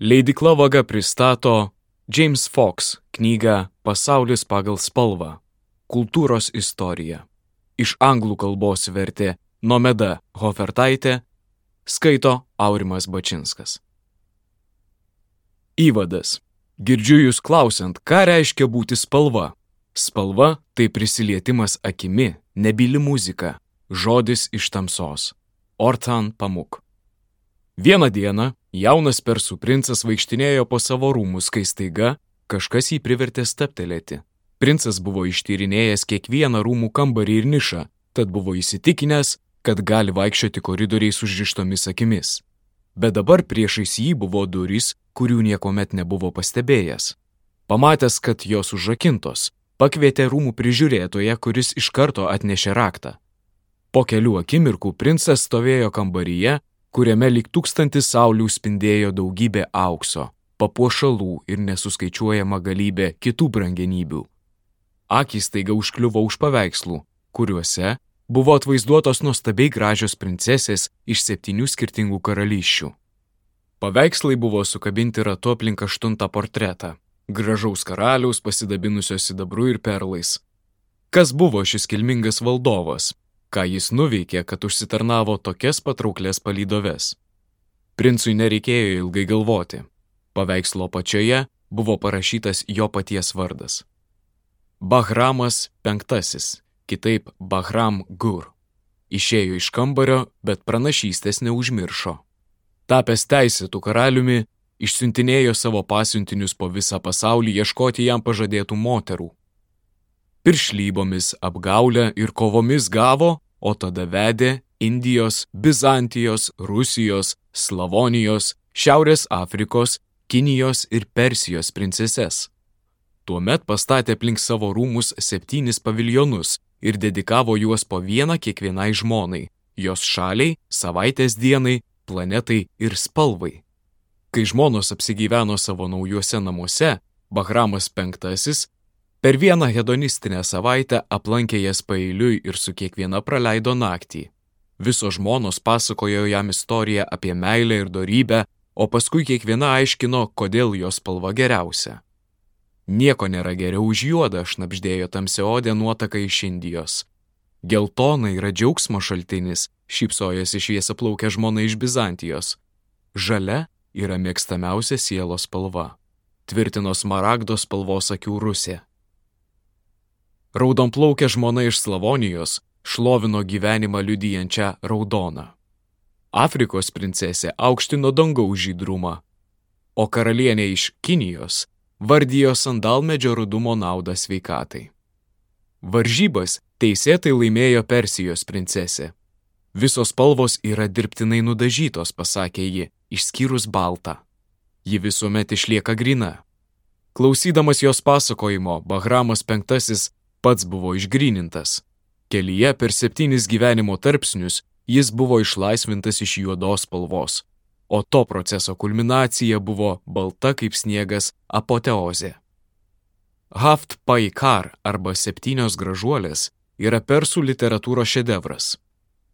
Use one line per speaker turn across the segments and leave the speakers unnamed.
Leidykla Vaga pristato James Fox knygą Pasaulis pagal spalvą – kultūros istorija. Iš anglų kalbos vertė Nomeda Hofertaitė, skaito Aurimas Bačinskas. Įvadas. Girdžiu jūs klausiant, ką reiškia būti spalva. Spalva – tai prisilietimas akimi, nebyli muzika, žodis iš tamsos. Orhan Pamuk. Vieną dieną jaunas persų princas vaikštinėjo po savo rūmus, kai staiga kažkas jį privertė stabtelėti. Princas buvo ištyrinėjęs kiekvieną rūmų kambarį ir nišą, tad buvo įsitikinęs, kad gali vaikščioti koridoriais užrištomis akimis. Bet dabar priešais jį buvo durys, kurių niekuomet nebuvo pastebėjęs. Pamatęs, kad jos užrakintos, pakvietė rūmų prižiūrėtoją, kuris iš karto atnešė raktą. Po kelių akimirkų princas stovėjo kambaryje, kuriame lyg 1000 saulių spindėjo daugybė aukso, papuošalų ir nesuskaičiuojama galybė kitų brangenybių. Akys staiga užkliuvo už paveikslų, kuriuose buvo atvaizduotos nuostabiai gražios princesės iš 7 skirtingų karalysčių. Paveikslai buvo sukabinti ratu aplink 8 portretą, gražaus karaliaus pasidabinusio sidabru ir perlais. Kas buvo šis kilmingas valdovas? Ką jis nuveikė, kad užsitarnavo tokias patrauklias palydoves? Princui nereikėjo ilgai galvoti. Paveikslo apačioje buvo parašytas jo paties vardas. Bahramas V, kitaip Bahram Gur. Išėjo iš kambario, bet pranašystės neužmiršo. Tapęs teisėtų karaliumi, išsiuntinėjo savo pasiuntinius po visą pasaulį ieškoti jam pažadėtų moterų. Piršlybomis, apgaulę ir kovomis gavo, o tada vedė Indijos, Bizantijos, Rusijos, Slavonijos, Šiaurės Afrikos, Kinijos ir Persijos princeses. Tuomet pastatė aplink savo rūmus 7 paviljonus ir dedikavo juos po vieną kiekvienai žmonai, jos šaliai, savaitės dienai, planetai ir spalvai. Kai žmonos apsigyveno savo naujuose namuose, Bahramas V per vieną hedonistinę savaitę aplankė jas paeiliui ir su kiekviena praleido naktį. Visos žmonos pasakojo jam istoriją apie meilę ir dorybę, o paskui kiekviena aiškino, kodėl jos spalva geriausia. Nieko nėra geriau už juodą, šnabždėjo tamsiaodė nuotaka iš Indijos. Geltona yra džiaugsmo šaltinis, šypsojosi šviesiaplaukė žmona iš Bizantijos. Žalia yra mėgstamiausia sielos spalva, tvirtino smaragdo spalvos akių Rusė. Raudonplaukė žmona iš Slavonijos šlovino gyvenimą liudijančią raudoną. Afrikos princesė aukštino dangaus žydrumą, o karalienė iš Kinijos vardijo sandalmedžio rudumo naudą sveikatai. Varžybas teisėtai laimėjo Persijos princesė. Visos spalvos yra dirbtinai nudažytos, pasakė ji, išskyrus baltą. Ji visuomet išlieka gryna. Klausydamas jos pasakojimo, Bahramas V pats buvo išgrynintas. Kelyje per 7 gyvenimo tarpsnius jis buvo išlaisvintas iš juodos spalvos, o to proceso kulminacija buvo balta kaip sniegas apoteozė. Haft Paikar arba 7 gražuolės yra persų literatūros šedevras.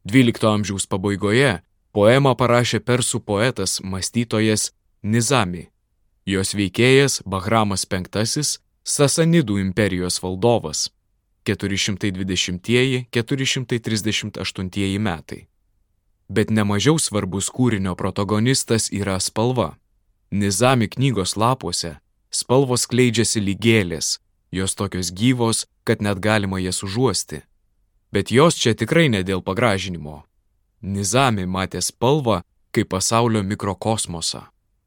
12 amžiaus pabaigoje poemą parašė persų poetas, mąstytojas Nizami. Jos veikėjas Bahramas V, Sasanidų imperijos valdovas, 420–438 metai. Bet nemažiau svarbus kūrinio protagonistas yra spalva. Nizami knygos lapuose spalvos skleidžiasi lyg gėlės, jos tokios gyvos, kad net galima jas užuosti. Bet jos čia tikrai ne dėl pagražinimo. Nizami matė spalvą kaip pasaulio mikrokosmosą,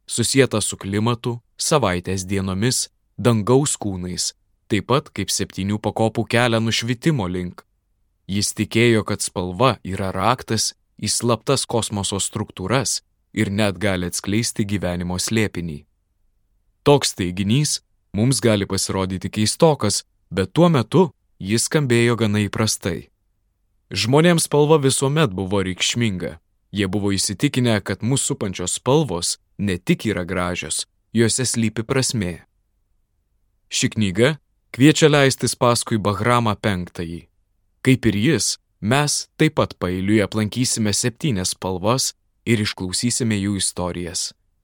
susietą su klimatu, savaitės dienomis, dangaus kūnais, taip pat kaip 7 pakopų kelią nušvitimo link. Jis tikėjo, kad spalva yra raktas į slaptas kosmoso struktūras ir net gali atskleisti gyvenimo slėpinį. Toks teiginys mums gali pasirodyti keistokas, bet tuo metu jis skambėjo gana įprastai. Žmonėms spalva visuomet buvo reikšminga. Jie buvo įsitikinę, kad mūsų supančios spalvos ne tik yra gražios, juose slypi prasmė. Ši knyga kviečia leistis paskui Bahramą V. Kaip ir jis, mes taip pat paeiliui aplankysime 7 spalvas ir išklausysime jų istorijas.